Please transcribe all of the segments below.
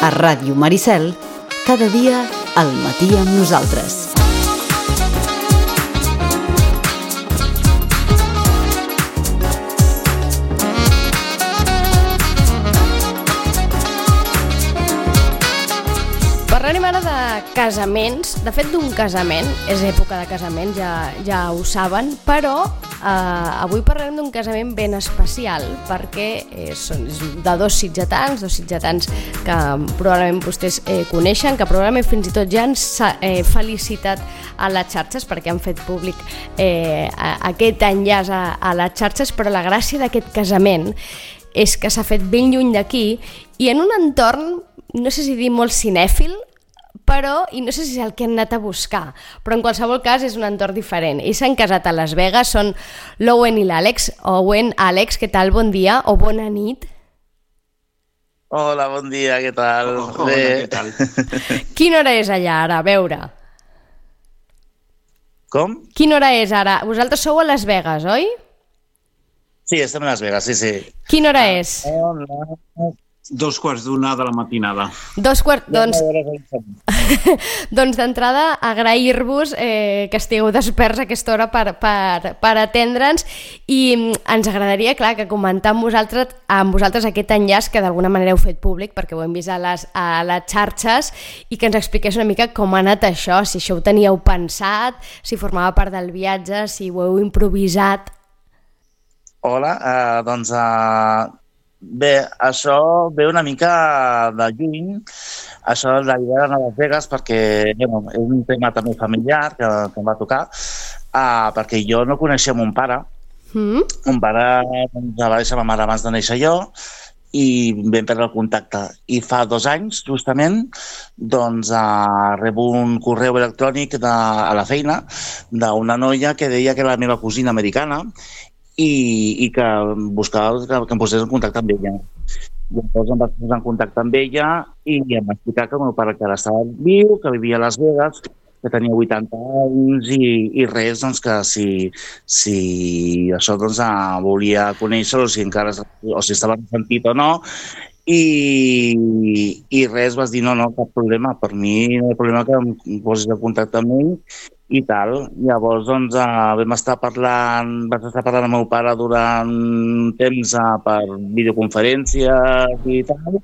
A Ràdio Maricel, cada dia al matí amb nosaltres. Parlarem ara de casaments, de fet d'un casament, és època de casament, ja ho saben, però avui parlarem d'un casament ben especial perquè són de dos sitgetans que probablement vostès coneixen, que probablement fins i tot ja han felicitat a les xarxes perquè han fet públic aquest enllaç a les xarxes, però la gràcia d'aquest casament és que s'ha fet ben lluny d'aquí i en un entorn, no sé si dir molt cinèfil, però, i no sé si és el que han anat a buscar, però en qualsevol cas és un entorn diferent. Ells s'han casat a Las Vegas, són l'Owen i l'Àlex. Owen, Àlex, què tal? Bon dia o bona nit. Hola, bon dia, què tal? Hola, què tal? Quina hora és allà ara? A veure. Com? Quina hora és ara? Vosaltres sou a Las Vegas, oi? Sí, estem a Las Vegas, sí. Quina hora és? 2:15 de la matinada. Doncs d'entrada agrair-vos que estigueu desperts a aquesta hora per atendre'ns i ens agradaria, clar, que comentar amb vosaltres aquest enllaç que d'alguna manera heu fet públic perquè ho hem vist a les xarxes i que ens expliqués una mica com ha anat això, si això ho teníeu pensat, si formava part del viatge, si ho heu improvisat. Hola, bé, això ve una mica de lluny, això de l'idea d'anar a Las Vegas, perquè és un tema també familiar que em va tocar, perquè jo no coneixia mon pare. Mon pare va deixar ma mare abans de néixer jo i vam perdre el contacte. I fa 2 anys, justament, rebo un correu electrònic a la feina d'una noia que deia que era la meva cosina americana i que buscava que em posés en contacte amb ella. Llavors em vaig posar en contacte amb ella i em va explicar que el meu pare encara estava viu, que vivia a Las Vegas, que tenia 80 anys i res, que si això volia conèixer-lo, o si estava ressentit o no, i res, vas dir no, cap problema, per mi no hi ha problema que em posis en contacte amb ell i tal. Llavors vaig estar parlant amb el meu pare durant un temps per videoconferències i tal,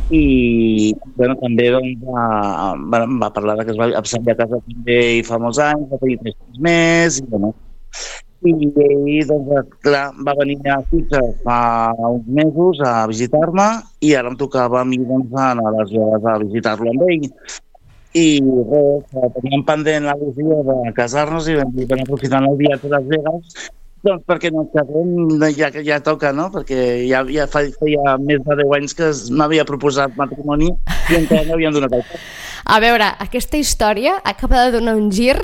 i també va parlar que s'havia casat també fa molts anys, va tenir 3 fills més, i ell, clar, va venir a Sitges fa uns mesos a visitar-me i ara em tocava a mi anar a Las Vegas a visitar-lo amb ell. I res, teníem pendent la visió de casar-nos i vam aprofitant el viatge a Las Vegas, perquè no ens casem, ja toca, no? Perquè ja feia més de 10 anys que m'havia proposat matrimoni i encara no havíem donat el pas. A veure, aquesta història acaba de donar un gir,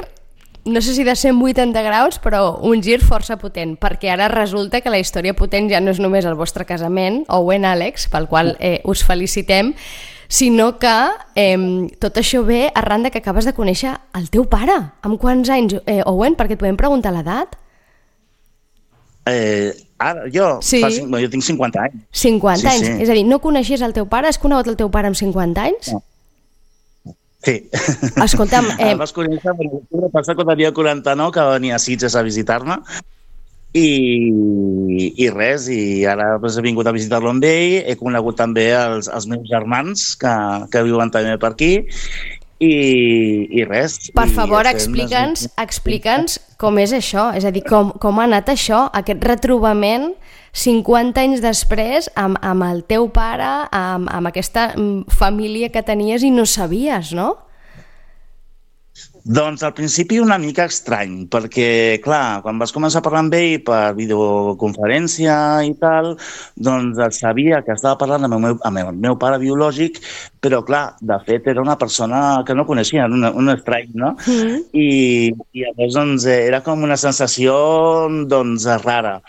no sé si de 180 graus, però un gir força potent, perquè ara resulta que la història potent ja no és només el vostre casament, Owen, Àlex, pel qual us felicitem, sinó que tot això ve arran de que acabes de conèixer el teu pare. Amb quants anys, Owen? Perquè et podem preguntar l'edat? Ara, jo? Sí. Jo tinc 50 anys. 50 anys? Sí. És a dir, no coneixies el teu pare? Has conegut el teu pare amb 50 anys? No. Sí. Escolta'm... El vas conèixer per l'octubre passat quan tenia 49, que va venir a Sitges a visitar-me, i res, i ara he vingut a visitar-lo amb ell, he conegut també els meus germans que viuen també per aquí, i res. Per favor, explica'ns com és això, és a dir, com ha anat això, aquest retrobament 50 anys després amb el teu pare, amb aquesta família que tenies i no sabies, no? Doncs al principi una mica estrany, perquè, clar, quan vas començar a parlar amb ell per videoconferència i tal, doncs sabia que estava parlant amb el meu pare biològic, però, clar, de fet era una persona que no coneixia, un estrany, no? I llavors era com una sensació rara.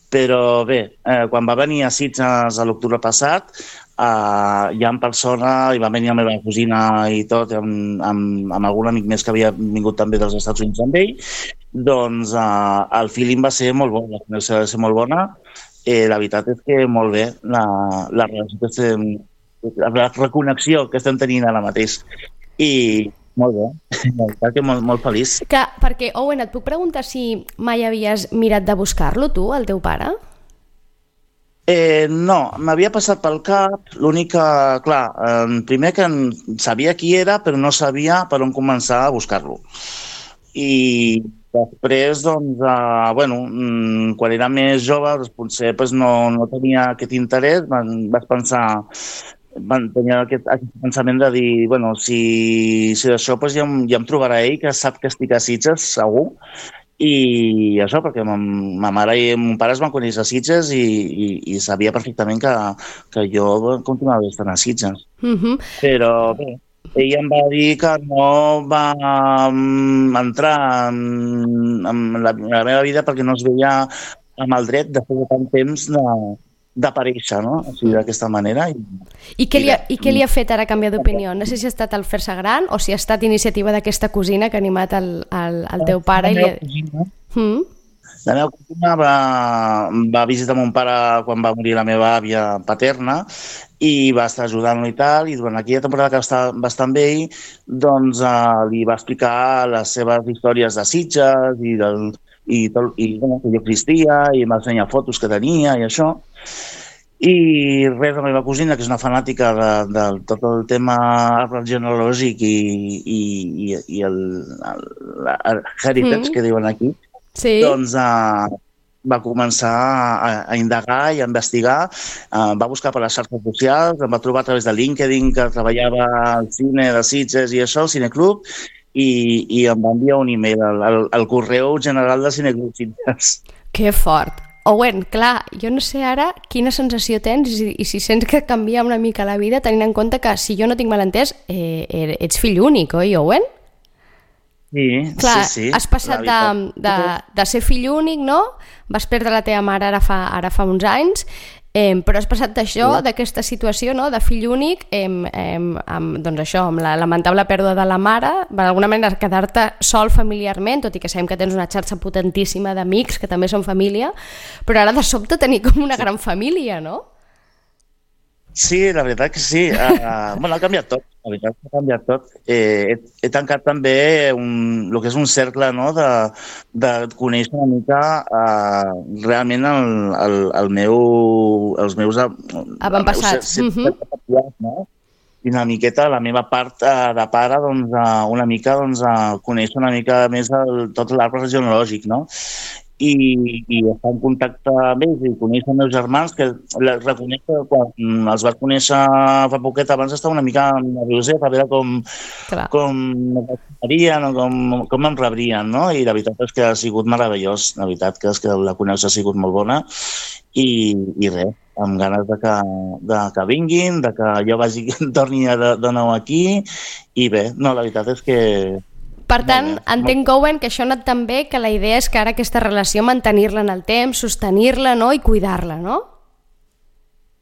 Però bé, quan va venir a Sitges a l'octubre passat, ja en persona, i va venir la meva cosina i tot, amb algun amic més que havia vingut també dels Estats Units amb ell, doncs el feeling va ser molt bo, la connexió va ser molt bona. La veritat és que molt bé, la relació que la reconnexió que estem tenint ara mateix. I molt bé, molt feliç. Perquè, Owen, et puc preguntar si mai havies mirat de buscar-lo, tu, el teu pare? No, m'havia passat pel cap, l'únic que, clar, primer que sabia qui era, però no sabia per on començar a buscar-lo. I després, doncs, quan era més jove, potser no tenia aquest interès, vaig pensar, tenia aquest pensament de dir, si d'això ja em trobarà ell, que sap que estic a Sitges, segur, i això, perquè ma mare i mon pare es van conèixer a Sitges i sabia perfectament que jo continuava estant a Sitges. Però bé, ell em va dir que no va entrar en la meva vida perquè no es veia amb el dret després de tant temps d'aparèixer, no? O sigui, d'aquesta manera. I què li ha fet ara canviar d'opinió? No sé si ha estat el fer-se gran o si ha estat iniciativa d'aquesta cosina que ha animat el teu pare. La meva cosina va visitar mon pare quan va morir la meva àvia paterna i va estar ajudant-lo i tal, i durant aquella temporada que va estar amb ell, doncs li va explicar les seves històries de Sitges i que jo existia, i m'ha ensenyat fotos que tenia i això. I res, la meva cosina, que és una fanàtica de tot el tema arbre genealògic i el heritage que diuen aquí, doncs va començar a indagar i a investigar, va buscar per les xarxes socials, em va trobar a través de LinkedIn que treballava al cine de Sitges i això, al Cineclub, i em va enviar un e-mail al correu general del Cineclub Sitges. Que fort! Owen, clar, jo no sé ara quina sensació tens i si sents que canvia una mica la vida, tenint en compte que, si jo no tinc mal entès, ets fill únic, oi, Owen? Sí, clar, sí. Has passat de ser fill únic, no? Vas perdre la teva mare ara fa uns anys, però has passat d'això, d'aquesta situació, no? De fill únic, doncs això, amb la lamentable pèrdua de la mare, d'alguna manera quedar-te sol familiarment, tot i que sabem que tens una xarxa potentíssima d'amics que també són família, però ara de sobte tenir com una gran família, no? Sí, la veritat que sí. Ha canviat tot. La veritat que ha canviat tot. He tancat també el que és un cercle, no?, de conèixer una mica realment els meus avantpassats. No? I una miqueta la meva part de pare, doncs, una mica conèixer una mica més tot l'arbre genealògic, no? I estar en contacte amb ells i conèixer els meus germans, que reconec que quan els vaig conèixer fa poquet abans estava una mica nervioset a veure com m'agradaria, com em rebrien, no? I la veritat és que ha sigut meravellós, la veritat que és que la connexió ha sigut molt bona i res, amb ganes de que vinguin, de que jo torni de nou aquí i bé, no, la veritat és que... Per tant, entenc, Owen, que això ha anat tan bé que la idea és que ara aquesta relació mantenir-la en el temps, sostenir-la, no?, i cuidar-la, no?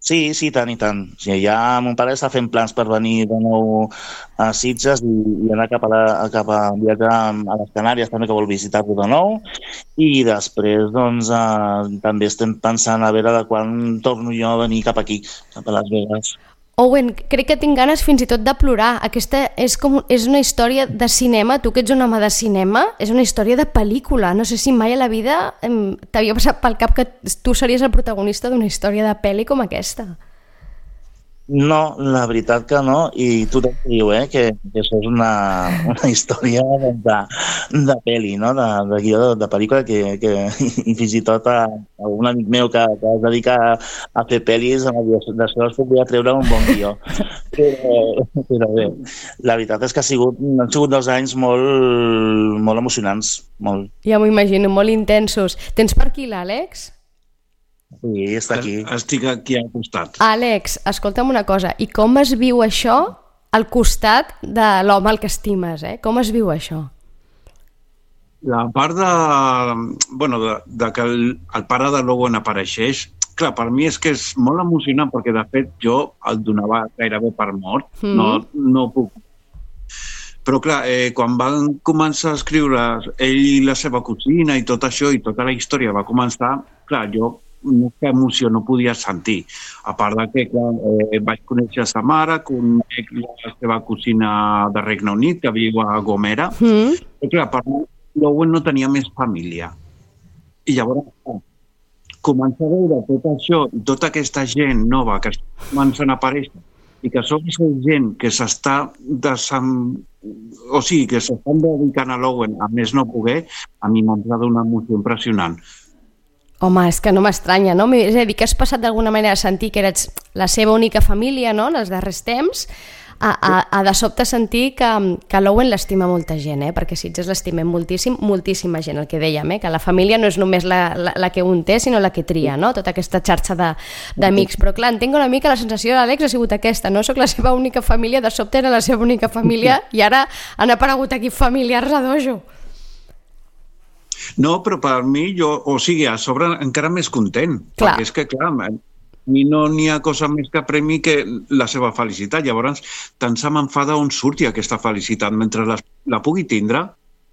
Sí, tant i tant. O sigui, ja mon pare està fent plans per venir de nou a Sitges i anar cap a viatjar a les Canàries, també, que vol visitar-lo de nou. I després, doncs, també estem pensant a veure de quan torno jo a venir cap aquí, cap a Las Vegas. Owen, crec que tinc ganes fins i tot de plorar. Aquesta és una història de cinema, tu que ets un home de cinema, és una història de pel·lícula. No sé si mai a la vida t'havia passat pel cap que tu series el protagonista d'una història de pel·li com aquesta. No, la veritat que no, i tothom diu que això és una història de pel·li, no? De guió de pel·lícula, i fins i tot un amic meu que es dedica a fer pel·lis, d'això es podria treure un bon guió. Però bé, la veritat és que han sigut 2 anys molt emocionants, molt. Ja m'ho imagino, molt intensos. Tens per aquí l'Àlex? Sí, està aquí. Estic aquí al costat. Àlex, escolta'm una cosa, i com es viu això al costat de l'home al que estimes, Com es viu això? La part de que el pare de l'Owen apareixeix, clar, per mi és que és molt emocionant, perquè de fet jo el donava gairebé per mort, no puc. Però clar, quan van començar a escriure ell i la seva cosina i tot això, i tota la història va començar, clar, jo que emoció no podies sentir. A part de que, clar, vaig conèixer sa mare, conec la seva cosina de Regne Unit, que viu a Gomera, i clar, per mi, l'Owen no tenia més família. I llavors, començar a veure tot això i tota aquesta gent nova que està començant a aparèixer i que som gent que s'està que s'estan dedicant a l'Owen a més no poder, a mi m'ha donat una emoció impressionant. Home, és que no m'estranya, no? És a dir, que has passat d'alguna manera a sentir que eres la seva única família, no?, en els darrers temps, a de sobte sentir que l'Owen l'estima molta gent, perquè Sitges l'estimem moltíssim, moltíssima gent, el que dèiem, que la família no és només la que un té, sinó la que tria, no? Tota aquesta xarxa d'amics. Però clar, entenc una mica la sensació de l'Àlex ha sigut aquesta, no? Soc la seva única família, de sobte era la seva única família i ara han aparegut aquí familiars a dojo. No, però per mi, a sobre encara més content, perquè és que, clar, a mi no n'hi ha cosa més que premi que la seva felicitat. Llavors, tant se m'enfada on surti aquesta felicitat. Mentre la pugui tindre,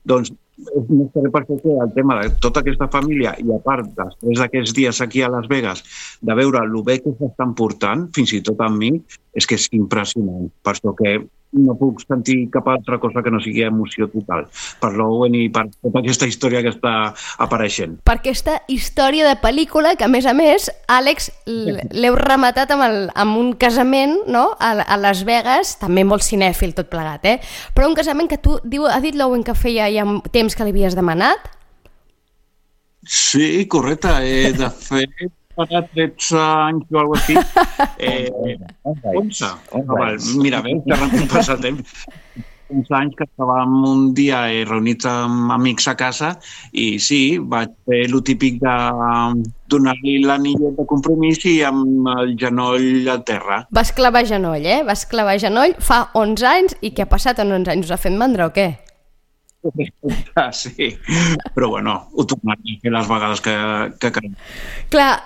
doncs, no sé per què el tema de tota aquesta família i a part, després d'aquests dies aquí a Las Vegas, de veure el bé que s'estan portant, fins i tot amb mi, és que és impressionant. Per això que no puc sentir cap altra cosa que no sigui emoció total per l'Owen i per tota aquesta història que està apareixent. Per aquesta història de pel·lícula que, a més, Àlex, l'heu rematat amb un casament, no?, a Las Vegas, també molt cinèfil tot plegat, però un casament que ha dit l'Owen que feia ja temps que li havies demanat? Sí, correcte. De fet, para 13 anys o alguna cosa així. 11. Mira, bé, que ràpid passa el temps. 11 anys que estàvem un dia reunits amb amics a casa i sí, vaig fer el típic de donar-li l'anillet de compromís i amb el genoll al terra. Vas clavar genoll, Vas clavar genoll fa 11 anys i què ha passat en 11 anys? Us ha fet mandra o què? Sí, però bueno, ho tornaré a fer les vegades que cal. Clar,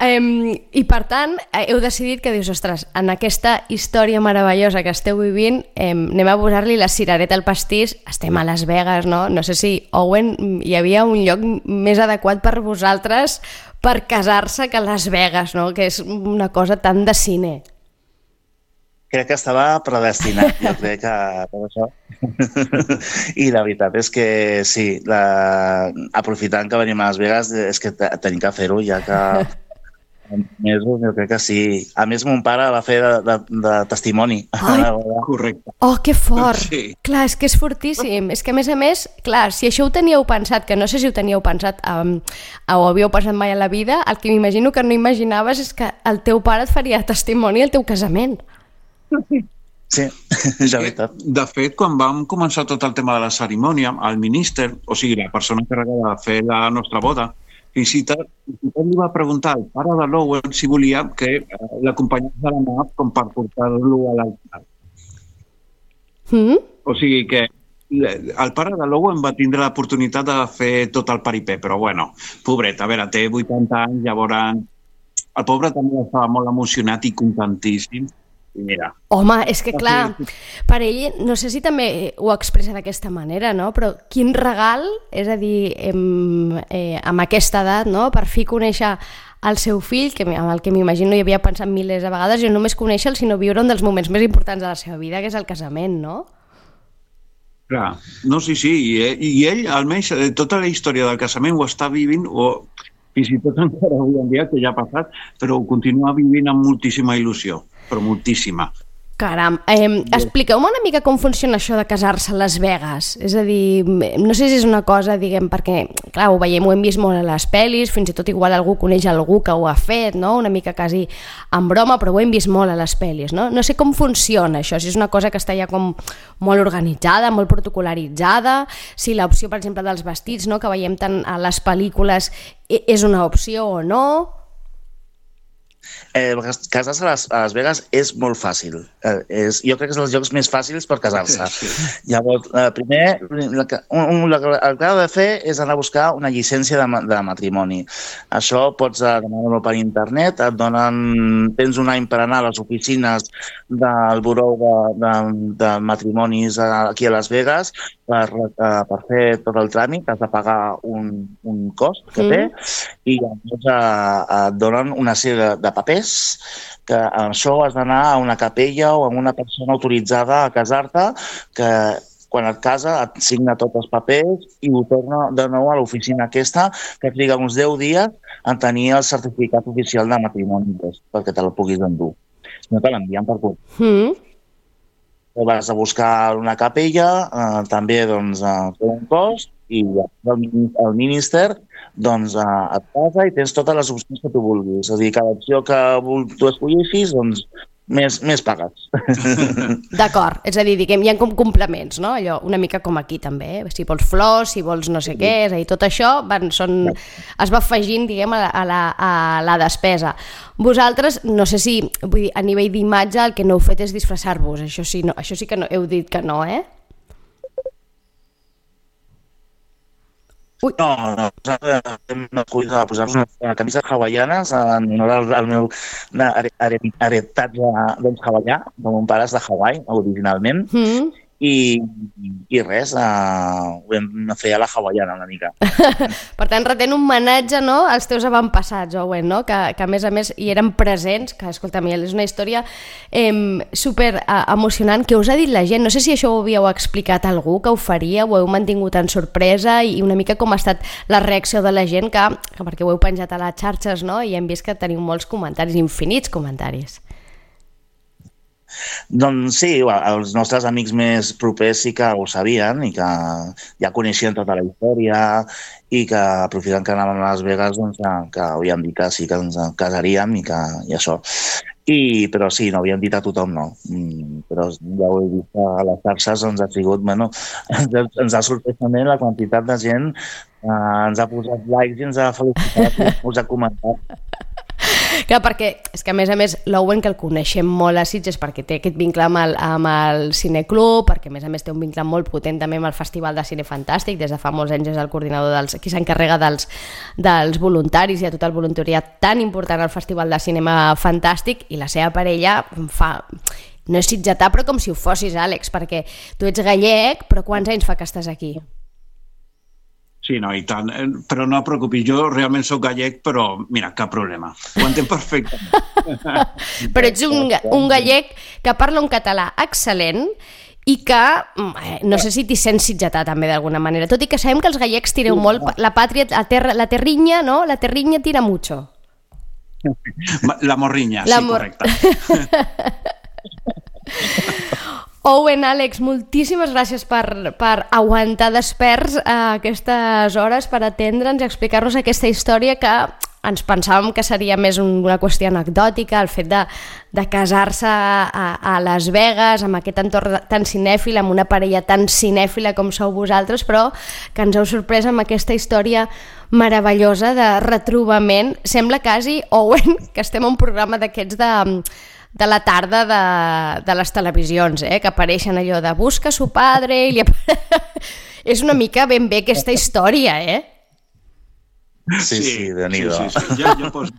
i per tant, heu decidit que dius, ostres, en aquesta història meravellosa que esteu vivint, anem a posar-li la cirereta al pastís, estem a Las Vegas, no? No sé si, Owen, hi havia un lloc més adequat per vosaltres per casar-se que Las Vegas, no? Que és una cosa tan de cine. Crec que estava predestinat, jo crec que per això. I la veritat és que sí, aprofitant que venim a Las Vegas, és que tenim que fer-ho, ja que mesos, jo crec que sí. A més, mon pare va fer de testimoni. Ai, correcte. Oh, que fort! Sí. Clar, és que és fortíssim. És que, a més, clar, si això ho teníeu pensat, que no sé si ho teníeu pensat o ho havíeu pensat mai a la vida, el que m'imagino que no imaginaves és que el teu pare et faria testimoni al teu casament. Sí, és la veritat. De fet, quan vam començar tot el tema de la cerimònia, el minister, o sigui, la persona encarregada de fer la nostra boda, fins i tot li va preguntar al pare de l'Owen si volia que l'acompanyés de la mà com per portar-lo a l'altar. O sigui que el pare de l'Owen va tindre l'oportunitat de fer tot el peripé, però bueno, pobret, a veure, té 80 anys, llavors el pobre també estava molt emocionat i contentíssim. Mira. Home, és que clar, per ell, no sé si també ho expressa d'aquesta manera, no? Però quin regal, és a dir, amb aquesta edat, no? Per fi conèixer el seu fill, amb el que m'imagino hi havia pensat milers de vegades, i no només conèixer-lo, sinó viure un dels moments més importants de la seva vida, que és el casament, no? Clar, no, sí, i ell, almenys, tota la història del casament ho està vivint, o fins i tot encara avui en dia, que ja ha passat, però ho continua vivint amb moltíssima il·lusió. Però moltíssima. Caram, expliqueu-me una mica com funciona això de casar-se a Las Vegas. És a dir, no sé si és una cosa, diguem, perquè, clar, ho veiem, ho hem vist molt a les pel·lis, fins i tot igual algú coneix algú que ho ha fet, no? Una mica quasi en broma, però ho hem vist molt a les pel·lis, no? No sé com funciona això, si és una cosa que està ja com molt organitzada, molt protocolaritzada, si l'opció, per exemple, dels vestits, no?, que veiem tant a les pel·lícules, és una opció o no. Casar-se a Las Vegas és molt fàcil. Jo crec que és dels llocs més fàcils per casar-se. Sí. Llavors, primer, el que ha de fer és anar a buscar una llicència de matrimoni. Això pots demanar-ho per internet, tens un any per anar a les oficines del Buró de Matrimonis aquí a Las Vegas per fer tot el tràmit. Has de pagar un cost que té i llavors et donen una sèrie de papers que amb això has d'anar a una capella o a una persona autoritzada a casar-te que quan et casa et signa tots els papers i ho torna de nou a l'oficina aquesta que triga uns 10 dies en tenir el certificat oficial de matrimoni perquè te el puguis endur. Si no te l'envien per correu. Vas a buscar una capella, també té un cost i el minister et casa i tens totes les opcions que tu vulguis. És a dir, cada opció que tu escolleixis, més pagues. D'acord, és a dir, diguem, hi ha com complements, no? Allò, una mica com aquí també, si vols flors, si vols no sé què, és a dir, tot això es va afegint, diguem, a la despesa. Vosaltres, no sé si, vull dir, a nivell d'imatge el que no heu fet és disfressar-vos, això sí que no, heu dit que no, eh? No, hem escollit posar-nos una camisa hawaianes en honor al meu heretatge hawaià, de mon pare és de Hawaii, originalment, i res, ho vam fer a la hawaiana una mica. Per tant, retent un homenatge, no?, als teus avantpassats, Owen, no?, que a més hi eren presents, que, escolta'm, és una història super emocionant. Què us ha dit la gent? No sé si això ho havíeu explicat a algú, que ho faria, ho heu mantingut en sorpresa, i una mica com ha estat la reacció de la gent, que perquè ho heu penjat a les xarxes, no?, i hem vist que teniu molts comentaris, infinits comentaris. Doncs sí, els nostres amics més propers sí que ho sabien i que ja coneixien tota la història i que aprofitant que anàvem a Las Vegas que havíem dit que sí que ens casaríem i això. Però sí, no havíem dit a tothom, no. Però ja ho he vist a les xarxes, ha sigut, ens ha sorprès també la quantitat de gent ens ha posat likes i ens ha felicitat i ens ha comentat. Clar, perquè és que a més l'Owen, que el coneixem molt a Sitges perquè té aquest vincle amb el Cineclub, perquè a més té un vincle molt potent també amb el Festival de Cine Fantàstic, des de fa molts anys és el coordinador qui s'encarrega dels voluntaris i de tot el voluntariat tan important al Festival de Cinema Fantàstic, i la seva parella no és sitgetà, però com si ho fossis, Àlex, perquè tu ets gallec, però quants anys fa que estàs aquí? Sí, no, i tant. Però no et preocupis, jo realment soc gallec, però mira, cap problema. Ho entenc perfectament. Però ets un gallec que parla un català excel·lent i que, no sé si t'hi sents sitgetà també d'alguna manera, tot i que sabem que els gallecs tireu molt la pàtria, la terrinya, no? La terrinya tira mucho. La morrinya, sí, correcte. Owen, Àlex, moltíssimes gràcies per aguantar desperts a aquestes hores, per atendre'ns i explicar-nos aquesta història que ens pensàvem que seria més una qüestió anecdòtica, el fet de casar-se a Las Vegas, amb aquest entorn tan cinèfil, amb una parella tan cinèfila com sou vosaltres, però que ens heu sorprès amb aquesta història meravellosa de retrobament. Sembla quasi, Owen, que estem a un programa d'aquests de la tarda de les televisions, que apareixen allò de busca su padre i és una mica ben bé aquesta història, Sí, de nido. Sí. Jo poso...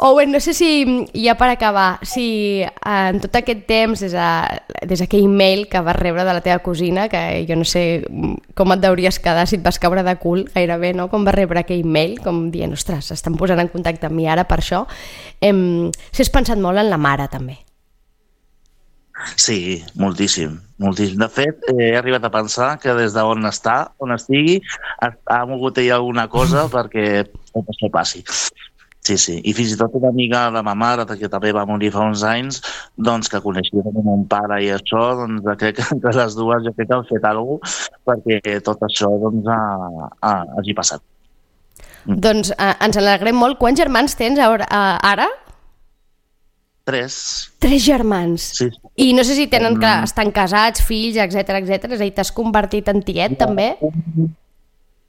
Owen, no sé si, ja per acabar, si en tot aquest temps, des d'aquell mail que vas rebre de la teva cosina, que jo no sé com et deuries quedar, si et vas caure de cul gairebé, no?, com vas rebre aquell mail, com dient, ostres, s'estan posant en contacte amb mi ara per això, si has pensat molt en la mare, també. Sí, moltíssim. De fet, he arribat a pensar que des d'on estigui, ha mogut ella alguna cosa perquè això passi. Sí. I fins i tot una amiga de ma mare, que també va morir fa uns anys, doncs que coneixia mon pare i això, doncs crec que entre les dues jo crec que han fet alguna cosa perquè tot això hagi passat. Doncs ens alegrem molt. Quants germans tens ara? 3. 3 germans. Sí. I no sé si estan casats, fills, etc. És a dir, t'has convertit en tiet, també?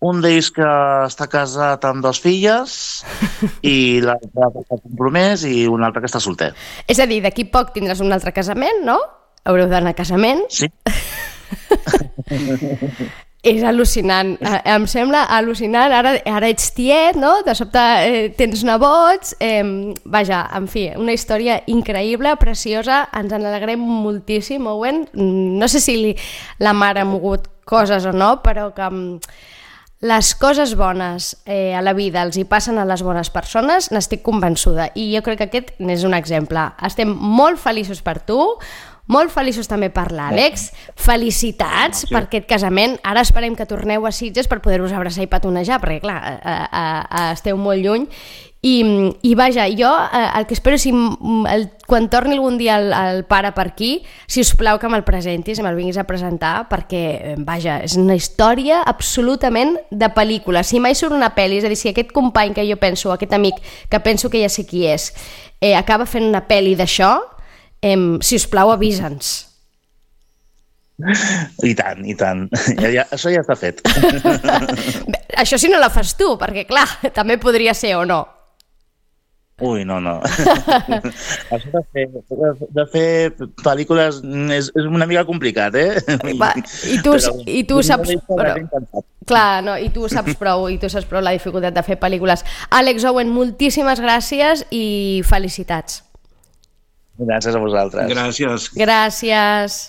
un d'ells que està casat amb 2 filles i l'altre que està compromès i un altre que està solter. És a dir, d'aquí poc tindràs un altre casament, no? Haureu d'anar a casament. Sí. És al·lucinant, em sembla al·lucinant, ara ets tiet, no? De sobte tens nebots, vaja, en fi, una història increïble, preciosa, ens en alegrem moltíssim, Owen, no sé si la mare ha mogut coses o no, però que les coses bones a la vida els hi passen a les bones persones, n'estic convençuda, i jo crec que aquest n'és un exemple. Estem molt feliços per tu, molt feliços també per l'Àlex, felicitats per aquest casament, ara esperem que torneu a Sitges per poder-vos abraçar i petonejar, perquè clar, esteu molt lluny, i vaja, jo el que espero és quan torni algun dia el pare per aquí, si us plau que me'l presentis, me'l vinguis a presentar, perquè vaja, és una història absolutament de pel·lícula. Si mai surt una pel·li, és a dir, si aquest company que jo penso, aquest amic que penso que ja sé qui és, acaba fent una pel·li d'això, si us plau, avisa'ns. I tant, i tant. Això ja està fet. Això si no la fas tu, perquè clar, també podria ser o no. Ui, no. Això de fer pel·lícules és una mica complicat, I tu saps... Clar, no, i tu saps prou la dificultat de fer pel·lícules. Àlex, Owen, moltíssimes gràcies i felicitats. Gràcies a vosaltres. Gràcies. Gràcies.